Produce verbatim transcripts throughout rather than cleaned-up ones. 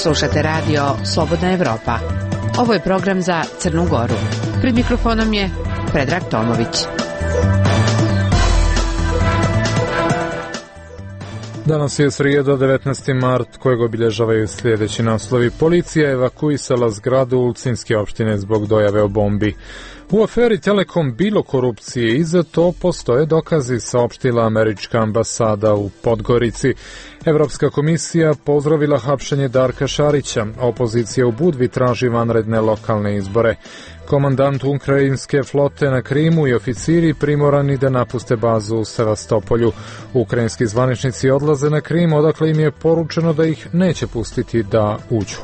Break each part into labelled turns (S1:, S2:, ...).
S1: Slušate radio Slobodna Evropa. Ovo je program za Crnu Goru. Pred mikrofonom je Predrag Tomović.
S2: Danas je srijeda, devetnaesti mart, kojeg obilježavaju sljedeći naslovi. Policija evakuisala zgradu Ulcinske opštine zbog dojave o bombi. U aferi Telekom bilo korupcije i za to postoje dokazi, saopštila američka ambasada u Podgorici. Evropska komisija pozdravila hapšenje Darka Šarića. Opozicija u Budvi traži vanredne lokalne izbore. Komandant ukrajinske flote na Krimu i oficiri primorani da napuste bazu u Sevastopolju. Ukrajinski zvaničnici odlaze na Krim, odakle im je poručeno da ih neće pustiti da uđu.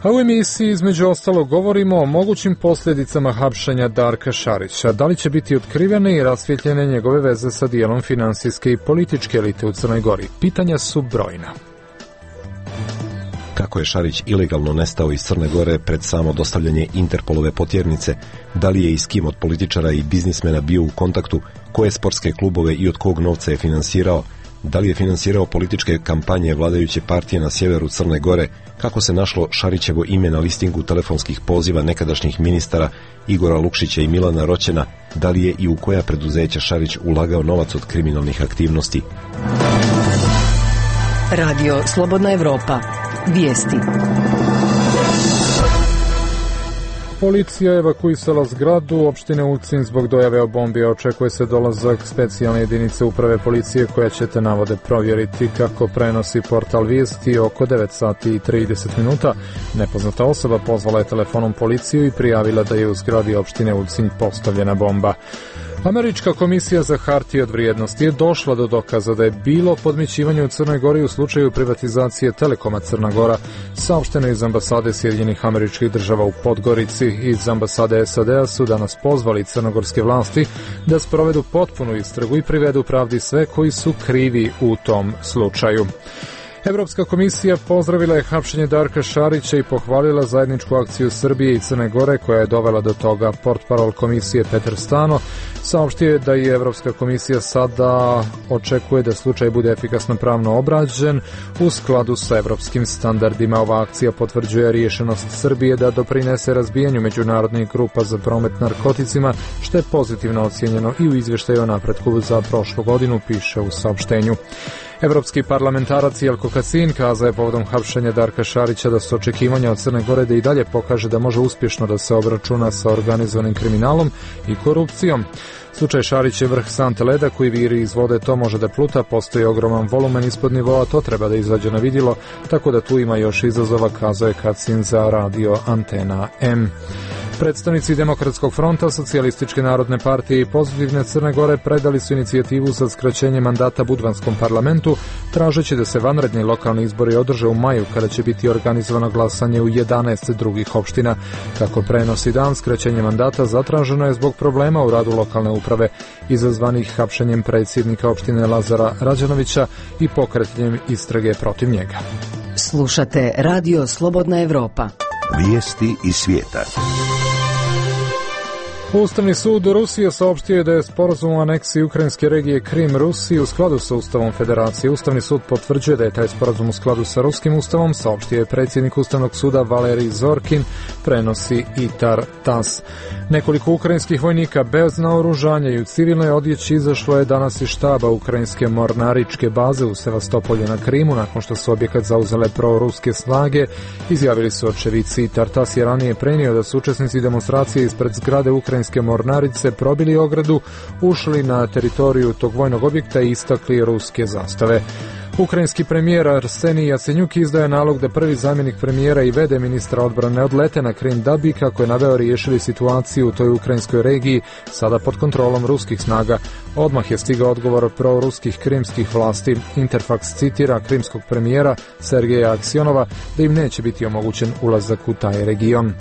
S2: A u emisiji između ostalo govorimo o mogućim posljedicama hapšenja Darka Šarića. Da li će biti otkrivene i rasvjetljene njegove veze sa dijelom finansijske i političke elite u Crnoj Gori? Pitanja su brojna.
S3: Kako je Šarić ilegalno nestao iz Crne Gore pred samo dostavljanje Interpolove potjernice, da li je i s kim od političara i biznismena bio u kontaktu, koje sportske klubove i od kog novca je finansirao, da li je finansirao političke kampanje vladajuće partije na sjeveru Crne Gore, kako se našlo Šarićevo ime na listingu telefonskih poziva nekadašnjih ministara Igora Lukšića i Milana Roćena, da li je i u koja preduzeća Šarić ulagao novac od kriminalnih aktivnosti.
S4: Radio Slobodna Evropa. Vijesti.
S2: Policija je evakuisala zgradu opštine Ulcin zbog dojave o bombi. Očekuje se dolazak specijalne jedinice uprave policije koja će te navode provjeriti. Kako prenosi portal Vijesti, oko devet sati i trideset minuta nepoznata osoba pozvala je telefonom policiju i prijavila da je u zgradi opštine Ulcin postavljena bomba. Američka komisija za hartije od vrijednosti je došla do dokaza da je bilo podmićivanje u Crnoj Gori u slučaju privatizacije Telekoma Crna Gora, saopšteno iz ambasade Sjedinjenih Američkih Država u Podgorici. Iz ambasade S A D-a su danas pozvali crnogorske vlasti da sprovedu potpunu istragu i privedu pravdi sve koji su krivi u tom slučaju. Evropska komisija pozdravila je hapšenje Darka Šarića i pohvalila zajedničku akciju Srbije i Crne Gore koja je dovela do toga. Portparol komisije Petar Stano saopštio je da je Evropska komisija sada očekuje da slučaj bude efikasno pravno obrađen u skladu sa evropskim standardima. Ova akcija potvrđuje rješenost Srbije da doprinese razbijanju međunarodnih grupa za promet narkoticima, što je pozitivno ocijenjeno i u izvještaju o napretku za prošlu godinu, piše u saopštenju. Evropski parlamentarac Jelko Kacin kazao je povodom hapšenja Darka Šarića da su očekivanja od Crne Gore da i dalje pokaže da može uspješno da se obračuna sa organizovanim kriminalom i korupcijom. Slučaj Šarić je vrh sante leda koji viri iz vode, to može da pluta, postoji ogroman volumen ispod nivoa, to treba da izađe na vidjelo, tako da tu ima još izazova, kazao je Kacin za radio Antena M. Predstavnici Demokratskog fronta, Socijalističke narodne partije i Pozitivne Crne Gore predali su inicijativu za skraćenje mandata Budvanskom parlamentu, tražeći da se vanredni lokalni izbori održe u maju, kada će biti organizovano glasanje u jedanaest drugih opština. Kako prenosi Dan, skraćenje mandata zatraženo je zbog problema u radu lokalne uprave, izazvanih hapšenjem predsjednika opštine Lazara Rađanovića i pokretanjem istrage protiv njega.
S4: Slušate Radio Slobodna Evropa.
S5: Vijesti iz svijeta.
S2: Ustavni sud Rusije saopštio je da je sporazum o aneksiji ukrajinske regije Krim Rusiji u skladu sa Ustavom Federacije. Ustavni sud potvrđuje da je taj sporazum u skladu sa ruskim ustavom, saopštio je predsjednik Ustavnog suda Valerij Zorkin, prenosi i Tar Tas. Nekoliko ukrajinskih vojnika bez naoružanja i u civilnoj odjeći izašlo je danas iz štaba ukrajinske mornaričke baze u Sevastopolju na Krimu, nakon što su objekat zauzele proruske snage, izjavili su očevici. I Tar Tas je ranije prenio da su učesnici demonstracije ispred zgrade ukrajinske mornarice probili ogradu, ušli na teritoriju tog vojnog objekta i istakli ruske zastave. Ukrajinski premijer Arsenij Jacenjuk izdaje nalog da prvi zamjenik premijera i vede ministra odbrane odlete na Krim da bi, kako je naveo, riješili situaciju u toj ukrajinskoj regiji, sada pod kontrolom ruskih snaga. Odmah je stigao odgovor proruskih krimskih vlasti. Interfax citira krimskog premijera Sergeja Aksionova da im neće biti omogućen ulazak u taj region.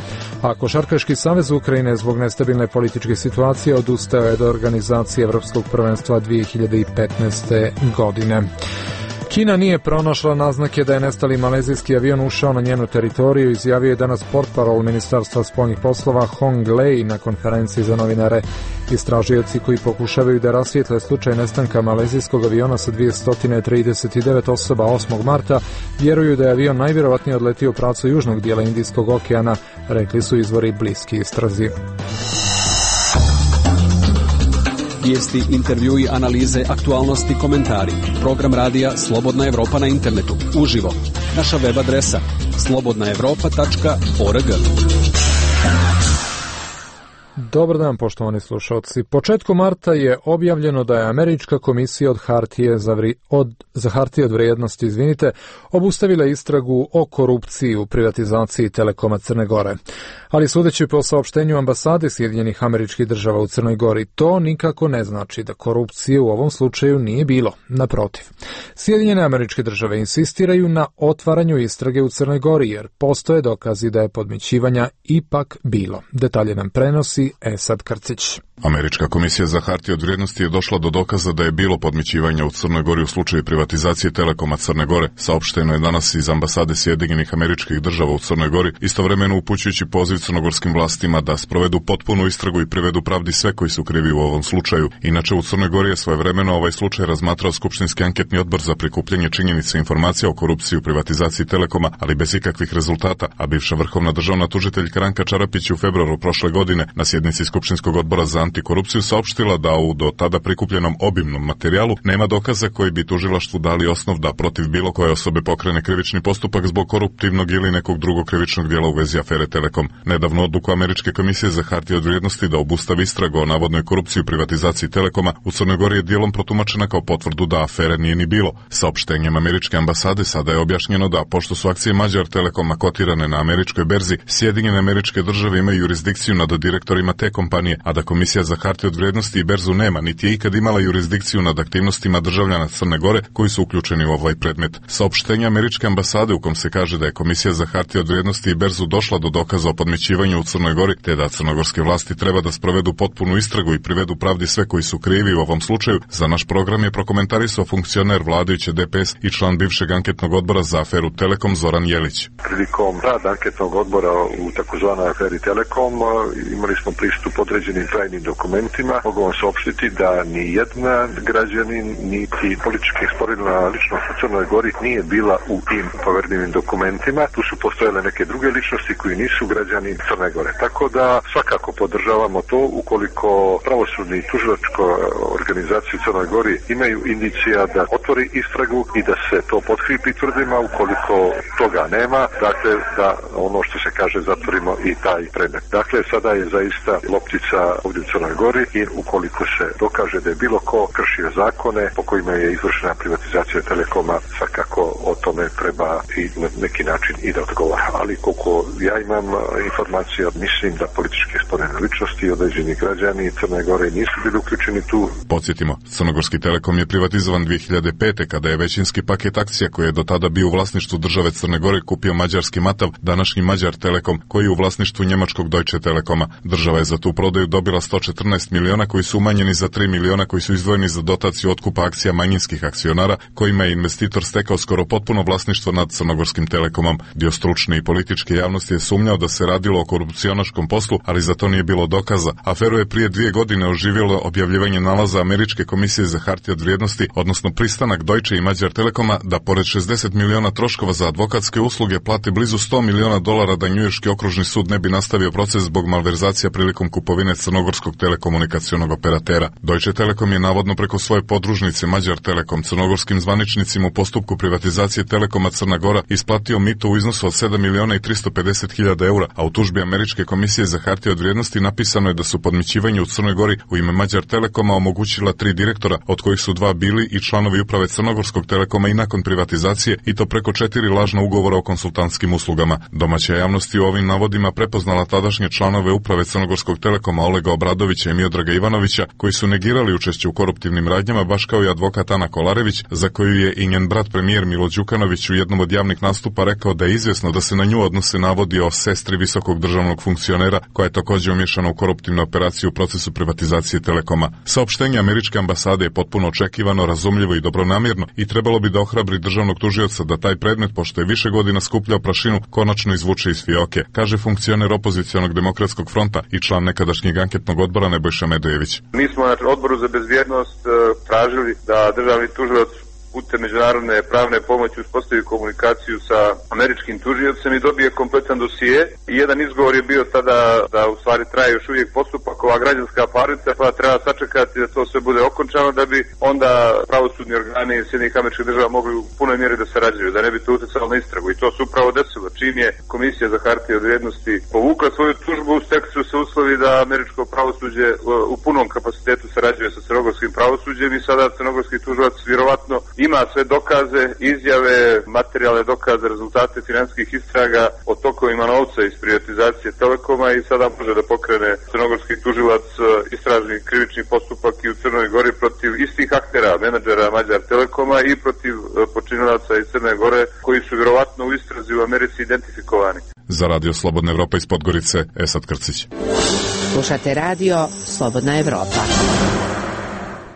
S2: A Košarkaški savez Ukrajine zbog nestabilne političke situacije odustao je od organizacije Evropskog prvenstva dvije hiljade petnaeste. godine. Kina nije pronašla naznake da je nestali malezijski avion ušao na njenu teritoriju, izjavio je danas portparol Ministarstva spoljnih poslova Hong Lei na konferenciji za novinare. Istražioci koji pokušavaju da rasvijetle slučaj nestanka malezijskog aviona sa dvjesto trideset devet osoba osmog marta vjeruju da je avion najvjerovatnije odletio u pravcu južnog dijela Indijskog okeana, rekli su izvori bliski istrazi.
S6: Vijesti, intervjui, analize, aktualnosti, komentari. Program radija Slobodna Evropa na internetu. Uživo. Naša web adresa slobodna evropa tačka org.
S2: Dobar dan, poštovani slušalci. Početkom marta je objavljeno da je Američka komisija od hartije za, vri, od, za hartije od vrijednosti, izvinite, obustavila istragu o korupciji u privatizaciji Telekoma Crne Gore. Ali sudeći po saopštenju ambasade Sjedinjenih Američkih Država u Crnoj Gori, to nikako ne znači da korupcije u ovom slučaju nije bilo. Naprotiv. Sjedinjene Američke Države insistiraju na otvaranju istrage u Crnoj Gori, jer postoje dokazi da je podmićivanja ipak bilo. Detalje nam prenosi Esad Krcić.
S7: Američka komisija za hartije od vrijednosti je došla do dokaza da je bilo podmićivanja u Crnoj Gori u slučaju privatizacije Telekoma Crne Gore. Saopšteno je danas iz ambasade Sjedinjenih Američkih Država u Crnoj Gori, istovremeno upućujući poziv crnogorskim vlastima da sprovedu potpunu istragu i privedu pravdi sve koji su krivi u ovom slučaju. Inače, u Crnoj Gori je svojevremeno ovaj slučaj razmatrao Skupštinski anketni odbor za prikupljanje činjenica i informacija o korupciji u privatizaciji Telekoma, ali bez ikakvih rezultata, a bivša vrhovna državna tužiteljka Ranka Čarapić u februaru prošle godine na sjednici Skupštinskog odbora za antikorupciju saopštila da u do tada prikupljenom obimnom materijalu nema dokaza koji bi tužilaštvu dali osnov da protiv bilo koje osobe pokrene krivični postupak zbog koruptivnog ili nekog drugog krivičnog djela u vezi afere Telekom. Nedavno odluku Američke komisije za hartije od vrijednosti da obustavi istragu o navodnoj korupciji u privatizaciji Telekoma u Crnoj Gori je dijelom protumačena kao potvrdu da afere nije ni bilo. Saopštenjem Američke ambasade sada je objašnjeno da, pošto su akcije Mađar Telekoma kotirane na američkoj berzi, Sjedinjene Američke Države imaju jurisdikciju nad direktorima te kompanije, a da Komisija za hartije od vrijednosti i berzu nema, niti je ikad imala jurisdikciju nad aktivnostima državljana Crne Gore koji su uključeni u ovaj predmet. Saopštenje Američke ambasade u kom se kaže da je Komisija za hartije od vrijednosti i berzu došla do dokaza o podmićivanju u Crnoj Gori, te da crnogorske vlasti treba da sprovedu potpunu istragu i privedu pravdi sve koji su krivi u ovom slučaju, za naš program je prokomentarisao funkcioner vladajuće D P S i član bivšeg anketnog odbora za aferu Telekom Zoran Jelić.
S8: Prilikom rada anketnog odbora u takozvanoj aferi Telekom imali smo pristup određenim tajnim dokumentima. Mogu vam saopštiti da ni jedna građanin, niti politički sporedna ličnost u Crnoj Gori nije bila u tim povjerljivim dokumentima. Tu su postojale neke druge ličnosti koji nisu građani Crne Gore. Tako da svakako podržavamo to ukoliko pravosudni i tužilačko organizacije u Crnoj Gori imaju indicija da otvori istragu i da se to potkrijepi tvrdima. Ukoliko toga nema, dakle da ono što se kaže zatvorimo i taj predmet. Dakle, sada je zaista loptica ovdje u Crnoj Gori i ukoliko se dokaže da je bilo ko kršio zakone po kojima je izvršena privatizacija Telekoma, svakako o tome treba i na neki način i da odgovara. Ali koliko ja imam informacija, mislim da političke sporedne ličnosti i određeni građani Crne Gore nisu bili uključeni tu.
S7: Podsjetimo, Crnogorski Telekom je privatizovan dvije hiljade pete kada je većinski paket akcija koji je do tada bio u vlasništvu države Crne Gore kupio mađarski Matav, današnji Mađar Telekom, koji je u vlasništvu njemačkog Deutsche Telekoma. Država je za tu prodaju dobila sto četrnaest miliona koji su umanjeni za tri miliona koji su izdvojeni za dotaciju otkupa akcija manjinskih akcionara, kojima je investitor stekao skoro potpuno vlasništvo nad Crnogorskim Telekomom. Dio stručne i političke javnosti je sumnjao da se radilo o korupcionaškom poslu, ali za to nije bilo dokaza. Aferu je prije dvije godine oživjelo objavljivanje nalaza Američke komisije za hartije od vrijednosti, odnosno pristanak Deutsche i Mađar Telekoma da pored šezdeset miliona troškova za advokatske usluge plate blizu sto miliona dolara da njujorški okružni sud ne bi nastavio proces zbog malverzacija prilikom kupovine crnogorskog telekomunikacionog operatera. Deutsche Telekom je navodno preko svoje podružnice Mađar Telekom crnogorskim zvaničnicima u postupku privatizacije Telekoma Crna Gora isplatio mito u iznosu od sedam miliona i tristo pedeset hiljada eura, a u tužbi Američke komisije za hartije od vrijednosti napisano je da su podmićivanje u Crnoj Gori u ime Mađar Telekoma omogućila tri direktora, od kojih su dva bili i članovi uprave Crnogorskog Telekoma i nakon privatizacije, i to preko četiri lažna ugovora o konsultantskim uslugama. Domaća javnost je u ovim navodima prepoznala tadašnje članove uprave Crnogorskog crnogorskog Telekoma Olega Obradovića i Miodraga Ivanovića, koji su negirali učešće u koruptivnim radnjama, baš kao i advokat Ana Kolarević, za koju je i njen brat premijer Milo Đukanović u jednom od javnih nastupa rekao da je izvjesno da se na nju odnose navodi o sestri visokog državnog funkcionera, koja je također umješana u koruptivnu operaciju u procesu privatizacije Telekoma. Saopštenje američke ambasade je potpuno očekivano, razumljivo i dobronamjerno i trebalo bi da ohrabri državnog tužioca da taj predmet, pošto je više godina skupljao prašinu, konačno izvuče iz fioke, kaže funkcioner opozicionog demokratskog fronta i član nekadašnjeg anketnog odbora Nebojša Medojević.
S9: Mi smo na odboru za bezbjednost tražili da državni tužilac putem međunarodne pravne pomoći uspostavi komunikaciju sa američkim tužiocem i dobije kompletan dosije. I jedan izgovor je bio tada da u stvari traje još uvijek postupak, ova građanska parnica, pa treba sačekati da to sve bude okončano da bi onda pravosudni organi Sjedinjenih Američkih Država mogli u punoj mjeri da sarađuju, da ne bi to utjecalo na istragu. I to se upravo desilo. Čim je Komisija za hartije od vrijednosti povukla svoju tužbu, stekli su se uslovi da američko pravosuđe u punom kapacitetu sarađuje sa crnogorskim pravosuđem i sada crnogorski tužilac vjerovatno ima sve dokaze, izjave, materijalne dokaze, rezultate financijskih istraga o tokovima novca iz privatizacije Telekoma i sada može da pokrene crnogorski tužilac istražni krivični postupak i u Crnoj Gori protiv istih aktera, menadžera Mađar Telekoma i protiv počinilaca iz Crne Gore koji su vjerovatno u istrazi u Americi identifikovani.
S7: Za Radio Slobodna Evropa iz Podgorice, Esad Krcić.
S1: Slušate Radio Slobodna Evropa.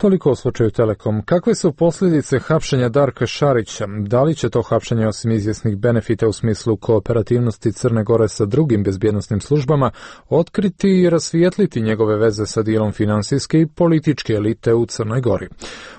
S2: Toliko o slučaju Telekom. Kakve su posljedice hapšenja Darka Šarića? Da li će to hapšenje osim izvjesnih benefita u smislu kooperativnosti Crne Gore sa drugim bezbjednosnim službama otkriti i rasvijetliti njegove veze sa dijelom finansijske i političke elite u Crnoj Gori?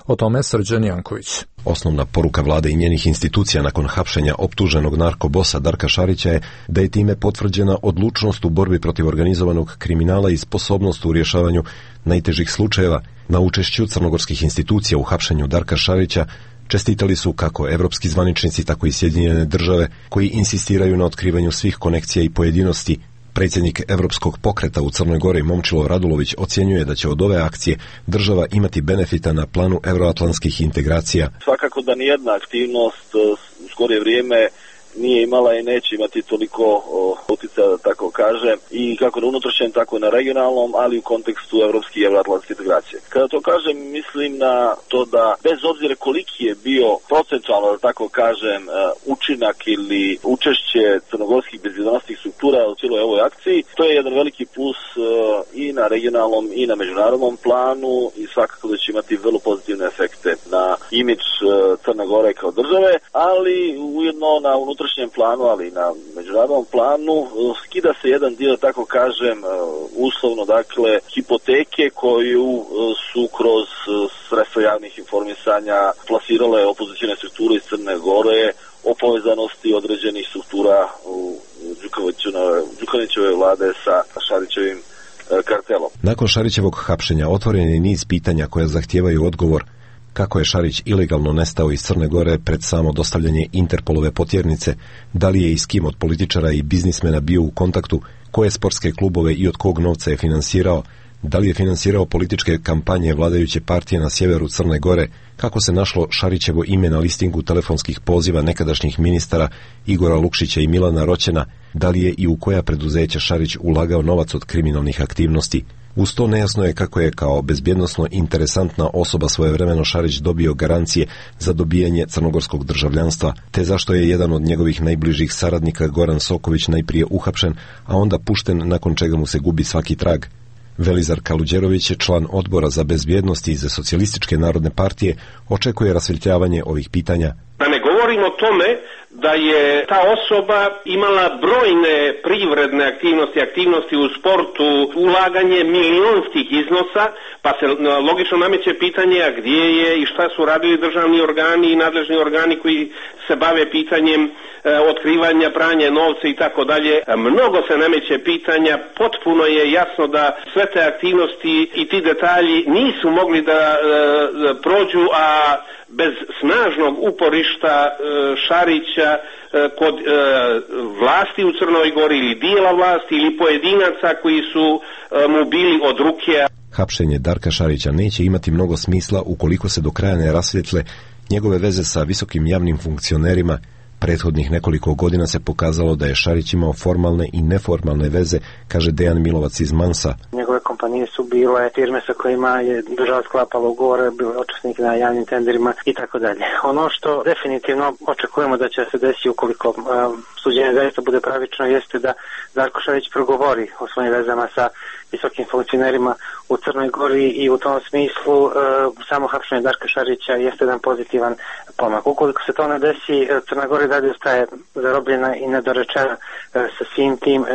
S2: O tome Srđan Janković.
S3: Osnovna poruka vlade i njenih institucija nakon hapšenja optuženog narkobosa Darka Šarića je da je time potvrđena odlučnost u borbi protiv organizovanog kriminala i sposobnost u rješavanju najtežih slučajeva. Na učešću crnogorskih institucija u hapšenju Darka Šarića čestitali su kako evropski zvaničnici, tako i Sjedinjene Države, koji insistiraju na otkrivanju svih konekcija i pojedinosti. Predsjednik Evropskog pokreta u Crnoj Gori Momčilo Radulović ocjenjuje da će od ove akcije država imati benefita na planu euroatlantskih integracija.
S10: Svakako da nijedna aktivnost u skorije vrijeme nije imala i neće imati toliko utjecaja, da tako kažem, i kako na unutrašnjem, tako i na regionalnom, ali u kontekstu evropske i euroatlantske integracije. Kada to kažem, mislim na to da bez obzira koliki je bio procentualno, da tako kažem, učinak ili učešće crnogorskih bezbjednosnih struktura u cijeloj ovoj akciji, to je jedan veliki plus i na regionalnom i na međunarodnom planu i svakako da će imati vrlo pozitivne efekte na imidž Crne Gore kao države, ali ujedno na unutrašnjem unutrašnjem planu, ali i na međunarodnom planu, skida se jedan dio, tako kažem, uslovno, dakle, hipoteke koju su kroz sredstva javnih informisanja plasirale opozicijne strukture iz Crne Gore o povezanosti određenih struktura u Đukanovićeve vlade sa Šarićevim kartelom.
S3: Nakon Šarićevog hapšenja otvoren je niz pitanja koja zahtijevaju odgovor. Kako je Šarić ilegalno nestao iz Crne Gore pred samo dostavljanje Interpolove potjernice, da li je i s kim od političara i biznismena bio u kontaktu, koje sportske klubove i od kog novca je finansirao, da li je finansirao političke kampanje vladajuće partije na sjeveru Crne Gore, kako se našlo Šarićevo ime na listingu telefonskih poziva nekadašnjih ministara Igora Lukšića i Milana Roćena, da li je i u koja preduzeća Šarić ulagao novac od kriminalnih aktivnosti. Uz to nejasno je kako je kao bezbjednosno interesantna osoba svojevremeno Šarić dobio garancije za dobijanje crnogorskog državljanstva, te zašto je jedan od njegovih najbližih saradnika Goran Soković najprije uhapšen, a onda pušten nakon čega mu se gubi svaki trag. Velizar Kaluđerović je član odbora za bezbjednost iz Socijalističke narodne partije, očekuje rasvjetljavanje ovih pitanja.
S11: Da ne govorim o tome da je ta osoba imala brojne privredne aktivnosti, aktivnosti u sportu, ulaganje milionskih iznosa, pa se logično nameće pitanje a gdje je i šta su radili državni organi i nadležni organi koji se bave pitanjem e, otkrivanja, pranja novca i tako dalje. Mnogo se nameće pitanja, potpuno je jasno da sve te aktivnosti i ti detalji nisu mogli da e, prođu, a bez snažnog uporišta e, Šarića e, kod e, vlasti u Crnoj Gori ili dijela vlasti ili pojedinaca koji su e, mu bili od ruke.
S3: Hapšenje Darka Šarića neće imati mnogo smisla ukoliko se do kraja ne rasvjetle njegove veze sa visokim javnim funkcionerima, Prethodnih nekoliko godina se pokazalo da je Šarić imao formalne i neformalne veze, kaže Dejan Milovac iz Mansa.
S12: Njegove kompanije su bile firme sa kojima je država sklapala ugovore, bile učesnik na javnim tenderima i tako dalje. Ono što definitivno očekujemo da će se desiti ukoliko uh, suđenje zaista bude pravično jeste da Darko Šarić progovori o svojim vezama sa visokim funkcionerima u Crnoj Gori i u tom smislu uh, samo hapšenje Darka Šarića jeste jedan pozitivan pomak. Ukoliko se to ne desi, Crna Gora dalje ostaje zarobljena i nedorečena uh, sa svim tim, uh,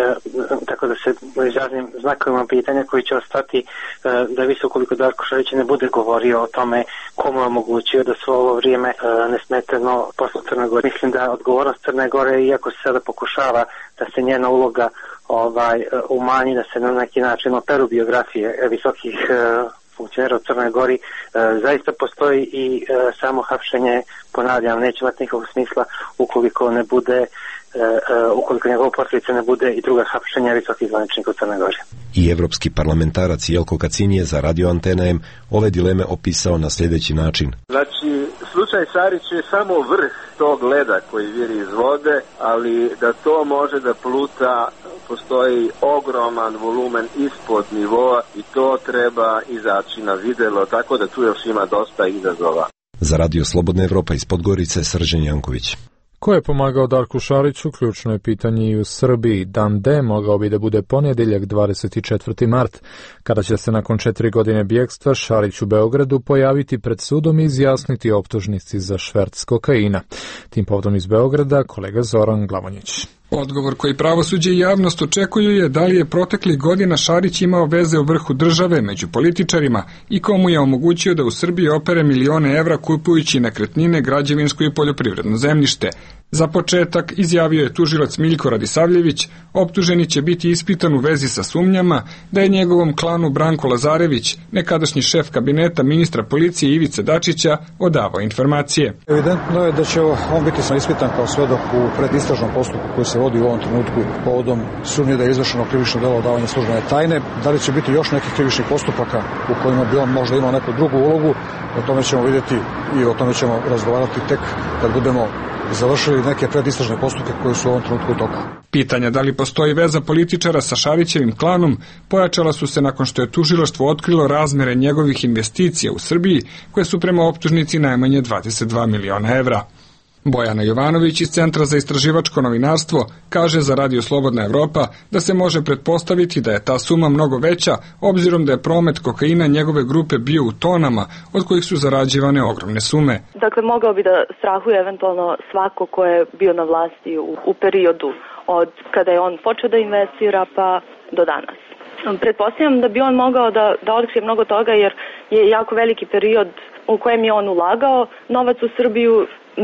S12: tako da se izraznim znakovima pitanja koji će ostati uh, da visi ukoliko Darko Šarić ne bude govorio o tome komu je omogućio da svo ovo vrijeme uh, nesmetano posle Crne Gore. Mislim da odgovornost Crne Gore, iako se sada pokušava da se njena uloga ovaj umanji, da se na neki način operu biografije visokih uh, funkcionera u Crnoj Gori, uh, zaista postoji i uh, samo hapšenje, ponavljam, neće imati nikakvog smisla ukoliko ne bude Uh, uh, ukoliko njegova posljedica ne bude i druga hapšenja visokih zvaničnika u Crnoj Gori.
S3: I evropski parlamentarac Jelko Kacin je za Radio Antena M ove dileme opisao na sljedeći način.
S13: Znači, slučaj Šarić je samo vrh tog leda koji viri iz vode, ali da to može da pluta, postoji ogroman volumen ispod nivoa i to treba izaći na videlo, tako da tu još ima dosta izazova.
S3: Za Radio Slobodna Evropa iz Podgorice, Srđan Janković.
S2: Ko je pomagao Darku Šariću? Ključno je pitanje i u Srbiji. Dan D mogao bi da bude ponedjeljak dvadeset četvrti mart, kada će se nakon četiri godine bjegstva Šarić u Beogradu pojaviti pred sudom i izjasniti optužnici za šverc kokaina. Tim povodom iz Beograda kolega Zoran Glavonjić.
S14: Odgovor koji pravosuđe i javnost očekuju je da li je proteklih godina Šarić imao veze u vrhu države među političarima i komu je omogućio da u Srbiji opere milione evra kupujući nekretnine, građevinsko i poljoprivredno zemljište. Za početak, izjavio je tužilac Miljko Radisavljević, optuženi će biti ispitan u vezi sa sumnjama da je njegovom klanu Branko Lazarević, nekadašnji šef kabineta ministra policije Ivice Dačića, odavao informacije.
S15: Evidentno je da će on biti ispitan kao svedok u predistražnom postupku koji se vodi u ovom trenutku povodom sumnje da je izvršeno krivično delo odavanja službene tajne. Da li će biti još nekih krivičnih postupaka u kojima bi on možda imao neku drugu ulogu, o tome ćemo vidjeti i o tome ćemo razgovarati tek kad budemo završili neke predistražne postupke koji su u ovom trenutku u toku.
S14: Pitanja da li postoji veza političara sa Šarićevim klanom pojačala su se nakon što je tužilaštvo otkrilo razmere njegovih investicija u Srbiji, koje su prema optužnici najmanje dvadeset dva miliona evra. Bojana Jovanović iz Centra za istraživačko novinarstvo kaže za Radio Slobodna Evropa da se može pretpostaviti da je ta suma mnogo veća, obzirom da je promet kokaina njegove grupe bio u tonama, od kojih su zarađivane ogromne sume.
S16: Dakle, mogao bi da strahuje eventualno svako ko je bio na vlasti u, u periodu od kada je on počeo da investira pa do danas. Pretpostavljam da bi on mogao da, da otkrije mnogo toga, jer je jako veliki period u kojem je on ulagao novac u Srbiju,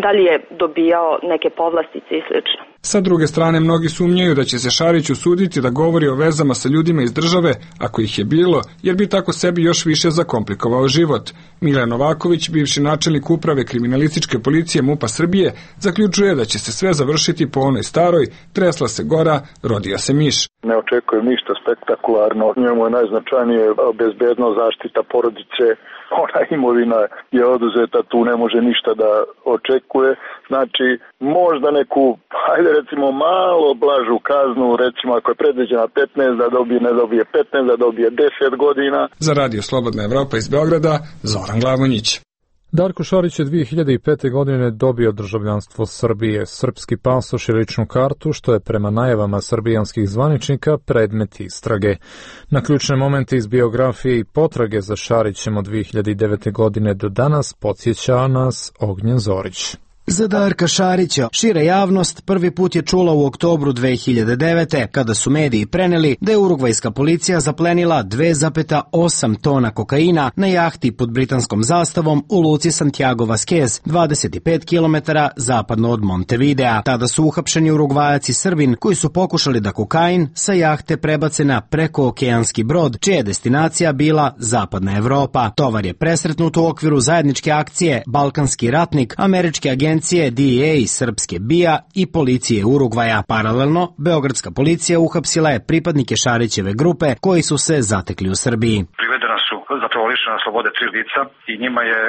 S16: da li je dobijao neke povlastice i slično.
S14: Sa druge strane, mnogi sumnjaju da će se Šarić usuditi da govori o vezama sa ljudima iz države, ako ih je bilo, jer bi tako sebi još više zakomplikovao život. Milan Novaković, bivši načelnik uprave kriminalističke policije MUP-a Srbije, zaključuje da će se sve završiti po onoj staroj, tresla se gora, rodija se miš.
S17: Ne očekujem ništa spektakularno, njemu je najznačajnije bezbednost, zaštita porodice, ona imovina je oduzeta, tu ne može ništa da očekuje, znači možda neku, hajde recimo malo blažu kaznu, recimo ako je predviđena petnaest, da dobije, ne dobije petnaest, da dobije deset godina.
S14: Za Radio Slobodna Evropa iz Beograda, Zoran Glavonjić.
S2: Darko Šarić je dvije hiljade pete. godine dobio državljanstvo Srbije, srpski pasoš i ličnu kartu, što je prema najavama srbijanskih zvaničnika predmet istrage. Na ključne momente iz biografije i potrage za Šarićem od dvije hiljade devete. godine do danas podsjeća nas Ognjen Zorić.
S18: Za Darka Šarića šira javnost prvi put je čula u oktobru dve hiljade devete. kada su mediji preneli da je urugvajska policija zaplenila dve zarez osam tona kokaina na jahti pod britanskom zastavom u luci Santiago Vasquez, dvadeset pet kilometara zapadno od Montevidea. Tada su uhapšeni Urugvajac i Srbin koji su pokušali da kokain sa jahte prebace na prekookeanski brod, čija je destinacija bila Zapadna Evropa. Tovar je presretnut u okviru zajedničke akcije Balkanski ratnik, američke agencije D E A i srpske B I A i policije Urugvaja. Paralelno, beogradska policija uhapsila je pripadnike Šarićeve grupe koji su se zatekli u Srbiji.
S19: Privedena su zapravo lišena slobode tri lica i njima je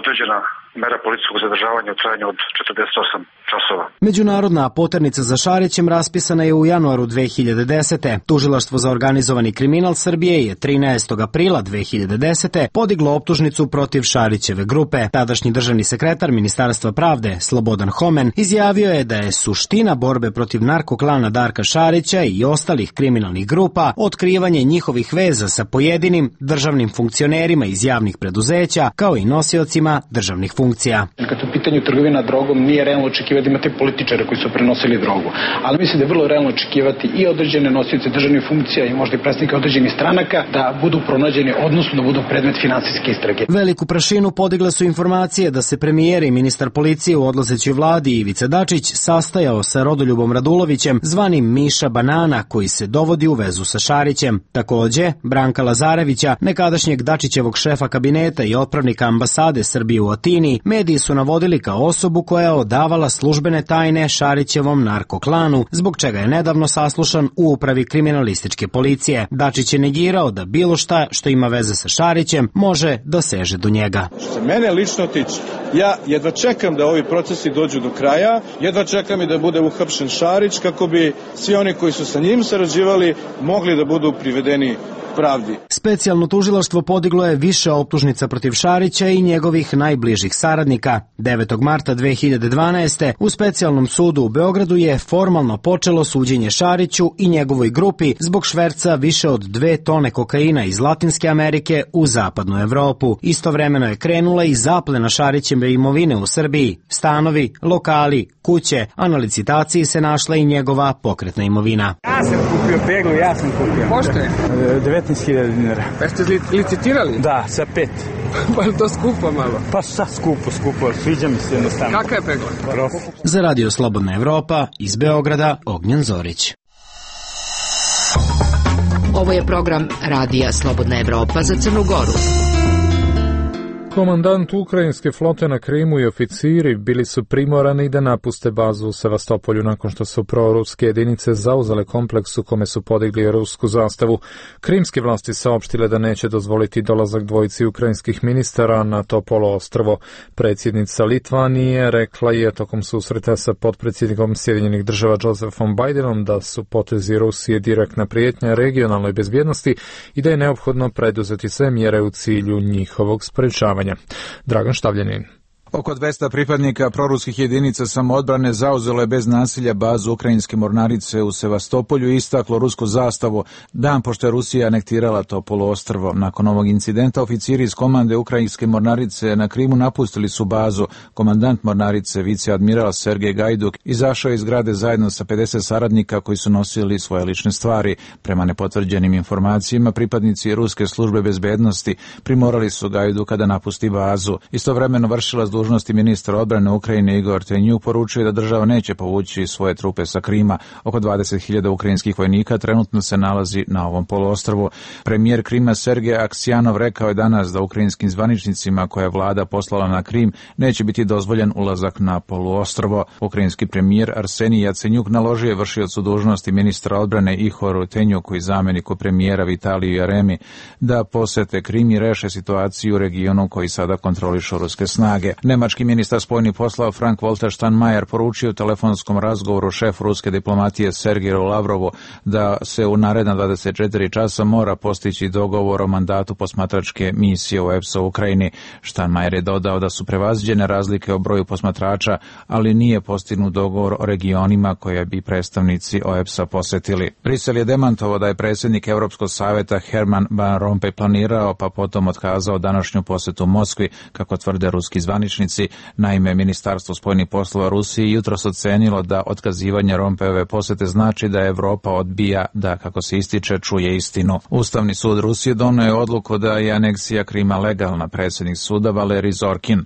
S19: određena mera policijskog zadržavanja u trajanju od četrdeset osam časova.
S18: Međunarodna poternica za Šarićem raspisana je u januaru dve hiljade desete. Tužilaštvo za organizovani kriminal Srbije je trinaestog aprila dve hiljade desete. podiglo optužnicu protiv Šarićeve grupe. Tadašnji državni sekretar Ministarstva pravde Slobodan Homen izjavio je da je suština borbe protiv narkoklana Darka Šarića i ostalih kriminalnih grupa otkrivanje njihovih veza sa pojedinim državnim funkcionerima iz javnih preduzeća kao i nosiocima državnih funkcija.
S20: Kad u pitanju trgovina drogom nije realno očekivati da imate političare koji su prenosili drogu, ali mislim da je vrlo realno očekivati i određene nosioce državnih funkcija i možda i predstavnike određenih stranaka da budu pronađeni, odnosno da budu predmet finansijske istrage.
S18: Veliku prašinu podigle su informacije da se premijer i ministar policije u odlazećoj vladi Ivica Dačić sastajao sa Rodoljubom Radulovićem, zvanim Miša Banana, koji se dovodi u vezu sa Šarićem. Takođe, Branka Lazarevića, nekadašnjeg Dačićevog šefa kabineta i otpravnika ambasade Srbije u Atini, mediji su navodili kao osobu koja je odavala službene tajne Šarićevom narkoklanu, zbog čega je nedavno saslušan u upravi kriminalističke policije. Dačić je negirao da bilo šta što ima veze sa Šarićem može da seže do njega.
S21: Što se mene lično tiče, ja jedva čekam da ovi procesi dođu do kraja, jedva čekam i da bude uhapšen Šarić kako bi svi oni koji su sa njim sarađivali mogli da budu privedeni pravdi.
S18: Specijalno tužilaštvo podiglo je više optužnica protiv Šarića i njegovih najbližih saradnika. devetog marta dve hiljade dvanaeste. u specijalnom sudu u Beogradu je formalno počelo suđenje Šariću i njegovoj grupi zbog šverca više od dve tone kokaina iz Latinske Amerike u zapadnu Evropu. Istovremeno je krenula i zaplena Šarićeve imovine u Srbiji, stanovi, lokali, kuće, a na licitaciji se našla i njegova pokretna imovina.
S22: Ja sam kupio peglu, ja sam kupio. Pošto je?
S21: devetnaest hiljada dinara.
S22: Pa ste licitirali?
S21: Da, sa pet.
S22: Pa je to skupo malo?
S21: Pa šta skupo, skupo, sviđa mi se jednostavno.
S22: Kakva je pegla?
S21: Prof.
S18: Za Radio Slobodna Evropa, iz Beograda, Ognjen Zorić.
S1: Ovo je program Radija Slobodna Evropa za Crnu Goru.
S2: Komandant ukrajinske flote na Krimu i oficiri bili su primorani da napuste bazu u Sevastopolju nakon što su proruske jedinice zauzele kompleks u kome su podigli rusku zastavu. Krimske vlasti saopštile da neće dozvoliti dolazak dvojici ukrajinskih ministara na to poluostrvo. Predsjednica Litvanije rekla je tokom susreta sa potpredsjednikom Sjedinjenih država Josephom Bidenom da su potezi Rusije direktna prijetnja regionalnoj bezbjednosti i da je neophodno preduzeti sve mjere u cilju njihovog sprečavanja. Dragan Štavljanin.
S23: Oko dvesta pripadnika proruskih jedinica samoodbrane zauzelo je bez nasilja bazu ukrajinske mornarice u Sevastopolju i istaklo rusku zastavu dan pošto je Rusija anektirala to poluostrvo. Nakon ovog incidenta oficiri iz komande ukrajinske mornarice na Krimu napustili su bazu. Komandant mornarice, viceadmiral Sergej Gajduk, izašao iz zgrade zajedno sa pedeset saradnika koji su nosili svoje lične stvari. Prema nepotvrđenim informacijama, pripadnici ruske službe bezbednosti primorali su Gajduka da napusti bazu. Istovremeno vršilac dužnosti ministra odbrane Ukrajine Igor Tenjuk poručuje da država neće povući svoje trupe sa Krima. Oko dvadeset hiljada ukrajinskih vojnika trenutno se nalazi na ovom poluostrvu. Premijer Krima Sergej Aksjanov rekao je danas da ukrajinskim zvaničnicima koje je vlada poslala na Krim neće biti dozvoljen ulazak na poluostrvo. Ukrajinski premijer Arsenij Jacenjuk naložio je vršiocu dužnosti ministra odbrane Ihoru Tenjuku i zamjeniku premijera Vitaliju Jaremi da posete Krim i reše situaciju u regionu koji sada kontrolišu ruske snage. Nemački ministar spoljnih poslova Frank-Walter Steinmeier poručio u telefonskom razgovoru šefu ruske diplomatije Sergeju Lavrovu da se u naredna dvadeset četiri časa mora postići dogovor o mandatu posmatračke misije u E P S-a u Ukrajini. Steinmeier je dodao da su prevaziđene razlike o broju posmatrača, ali nije postignut dogovor o regionima koje bi predstavnici O E P S-a posetili. Brisel je demantovao da je predsjednik Europskog savjeta Herman Van Rompuy planirao pa potom otkazao današnju posetu Moskvi, kako tvrde ruski zvaničnici. Naime, Ministarstvo spoljnih poslova Rusije jutros ocenilo da otkazivanje Rompuyove posete znači da Evropa odbija da, kako se ističe, čuje istinu. Ustavni sud Rusije donio je odluku da je aneksija Krima legalna. Predsjednik suda Valerij Zorkin.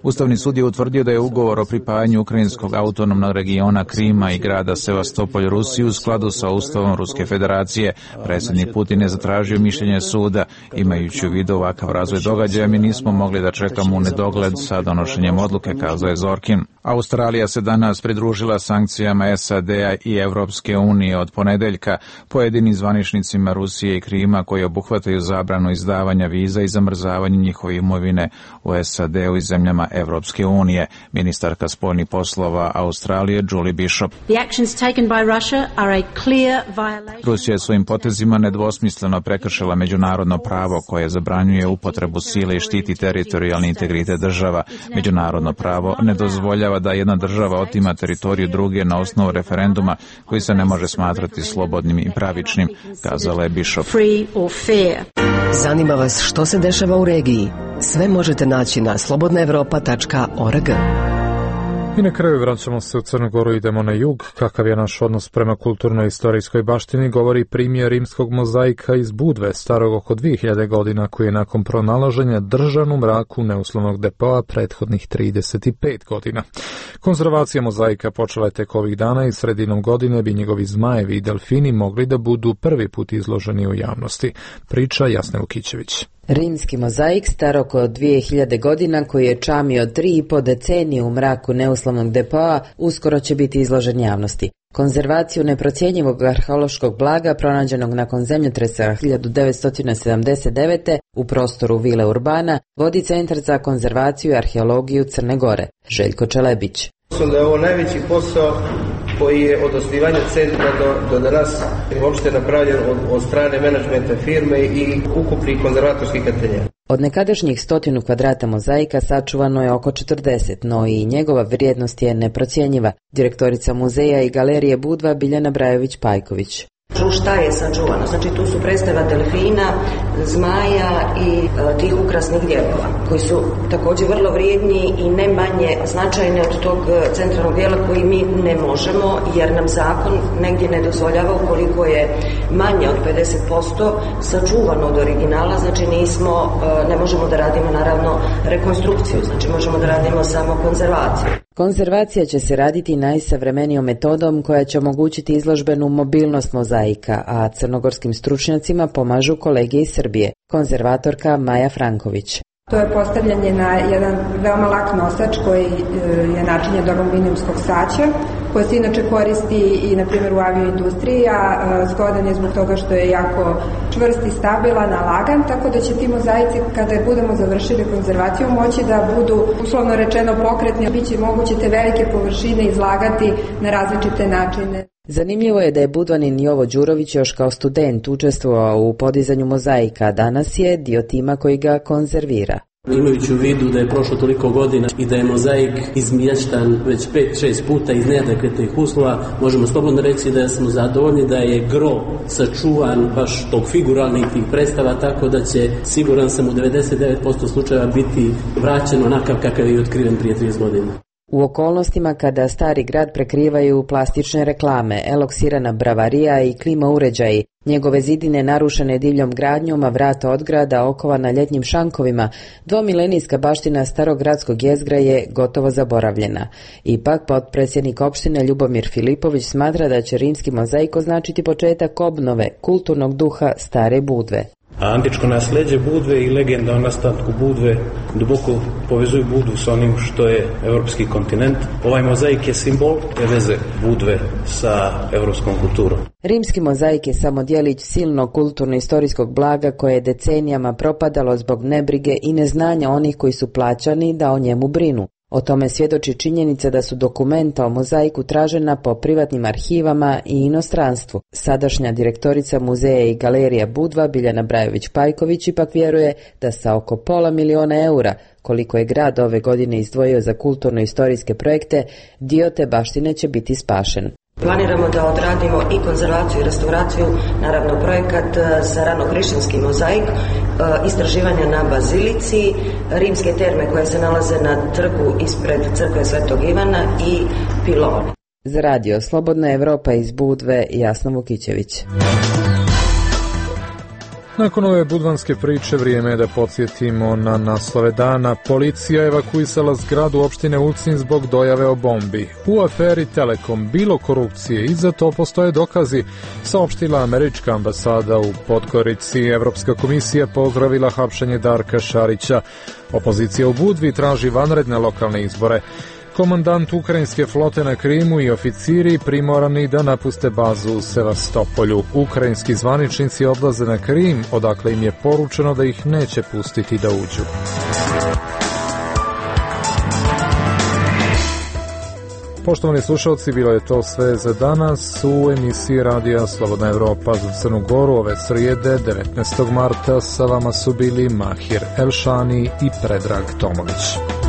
S23: Ustavni sud je utvrdio da je ugovor o pripajanju ukrajinskog autonomnog regiona Krima i grada Sevastopolj Rusiji u skladu sa Ustavom Ruske federacije. Predsjednik Putin je zatražio mišljenje suda. Imajući u vidu ovakav razvoj događaja, mi nismo mogli da čekamo u nedogled sa donošenjem odluke, kazao je Zorkin. Australija se danas pridružila sankcijama S A D-a i Evropske unije od ponedeljka. Pojedinim zvaničnicima Rusije i Krima koji obuhvataju zabranu izdavanja viza i zamrzavanje njihove imovine u S A D-u i zemljama Evropske unije. Ministarka spoljnih poslova Australije Julie Bishop. Rusija je svojim potezima nedvosmisleno prekršila međunarodno pravo koje zabranjuje upotrebu sile i štiti teritorijalni integritet država. Međunarodno pravo ne dozvoljava da jedna država otima teritoriju druge na osnovu referenduma koji se ne može smatrati slobodnim i pravičnim, kazala je Bishop.
S4: Zanima vas što se dešava u regiji? Sve možete naći na slobodna evropa tačka org.
S2: I na kraju vraćamo se u Crnu Goru, idemo na jug. Kakav je naš odnos prema kulturno-istorijskoj baštini govori primjer rimskog mozaika iz Budve, starog oko dvije hiljade godina, koji je nakon pronalaženja držan u mraku neuslovnog depoa prethodnih trideset pet godina. Konzervacija mozaika počela je tek ovih dana i sredinom godine bi njegovi zmajevi i delfini mogli da budu prvi put izloženi u javnosti. Priča Jasne Vukićević.
S5: Rimski mozaik star oko dvije hiljade godina koji je čamio tri i po decenije u mraku neuslovnog depoa uskoro će biti izložen javnosti. Konzervaciju neprocjenjivog arheološkog blaga pronađenog nakon zemljotresa hiljadu devetsto sedamdeset devete u prostoru Vile Urbana vodi Centar za konzervaciju i arheologiju Crne Gore. Željko Čelebić.
S6: Mislim da je ovo najveći posao koji je od osnivanja centra do, do danas uopšte napravljen od, od strane menadžmenta firme i ukupnih konzervatorskih ateljea.
S5: Od nekadašnjih stotinu kvadrata mozaika sačuvano je oko četrdeset, no i njegova vrijednost je neprocjenjiva. Direktorica muzeja i galerije Budva Biljana Brajović-Pajković.
S24: Šta je sačuvano? Znači tu su predstava delfina, zmaja i e, tih ukrasnih dijelova, koji su također vrlo vrijedni i ne manje značajni od tog centralnog dijela koji mi ne možemo, jer nam zakon negdje ne dozvoljava ukoliko je manje od pedeset posto sačuvano od originala, znači nismo, e, ne možemo da radimo naravno rekonstrukciju, znači možemo da radimo samo konzervaciju.
S5: Konzervacija će se raditi najsavremenijom metodom koja će omogućiti izložbenu mobilnost mozaika, a crnogorskim stručnjacima pomažu kolege iz Srbije. Konzervatorka Maja Franković.
S25: To je postavljanje na jedan veoma lak nosač koji je načinjen od aluminijumskog saća, koji se inače koristi i na primjer u avioindustriji, a zgodan je zbog toga što je jako čvrst i stabilan, a lagan, tako da će ti mozaici kada budemo završili konzervaciju moći da budu uslovno rečeno pokretni, biće moguće te velike površine izlagati na različite načine.
S5: Zanimljivo je da je Budvanin Jovo Đurović još kao student učestvovao u podizanju mozaika, a danas je dio tima koji ga konzervira.
S26: Imajući u vidu da je prošlo toliko godina i da je mozaik izmještan već pet šest puta iz neadekvatnih uslova, možemo slobodno reći da smo zadovoljni da je gro sačuvan baš tog figuralnih tih predstava, tako da će, siguran sam, u devedeset devet posto slučajeva biti vraćen onakav kakav je otkriven prije trideset godina.
S5: U okolnostima kada stari grad prekrivaju plastične reklame, eloksirana bravarija i klima uređaji, njegove zidine narušene divljom gradnjom, a vrata od grada okovana ljetnim šankovima, dvomilenijska baština starogradskog jezgra je gotovo zaboravljena. Ipak, potpredsjednik opštine Ljubomir Filipović smatra da će rimski mozaik označiti početak obnove kulturnog duha stare Budve.
S27: A antičko nasleđe Budve i legenda o nastanku Budve duboko povezuju Budvu s onim što je evropski kontinent. Ovaj mozaik je simbol te veze Budve sa evropskom kulturom.
S5: Rimski mozaik je samo djelić silnog kulturno-istorijskog blaga koje je decenijama propadalo zbog nebrige i neznanja onih koji su plaćani da o njemu brinu. O tome svjedoči činjenica da su dokumenta o mozaiku tražena po privatnim arhivama i inostranstvu. Sadašnja direktorica muzeja i galerija Budva Biljana Brajović-Pajković ipak vjeruje da sa oko pola miliona eura, koliko je grad ove godine izdvojio za kulturno-istorijske projekte, dio te baštine će biti spašen.
S24: Planiramo da odradimo i konzervaciju i restauraciju, naravno projekat za ranohrišćanski mozaik, istraživanja na bazilici, rimske terme koje se nalaze na trgu ispred crkve Svetog Ivana i piloni.
S5: Za radio Slobodna Evropa iz Budve, Jasna Vukićević.
S2: Nakon ove budvanske priče vrijeme je da podsjetimo na naslove dana. Policija evakuisala zgradu opštine Ulcinj zbog dojave o bombi. U aferi Telekom bilo korupcije i za to postoje dokazi, saopštila američka ambasada u Podgorici. Evropska komisija pozdravila hapšenje Darka Šarića. Opozicija u Budvi traži vanredne lokalne izbore. Komandant ukrajinske flote na Krimu i oficiri primorani da napuste bazu u Sevastopolju. Ukrajinski zvaničnici odlaze na Krim, odakle im je poručeno da ih neće pustiti da uđu. Poštovani slušalci, bilo je to sve za danas u emisiji Radija Slobodna Evropa za Crnu Goru ove srijede devetnaestog marta. Sa vama su bili Mahir Elšani i Predrag Tomović.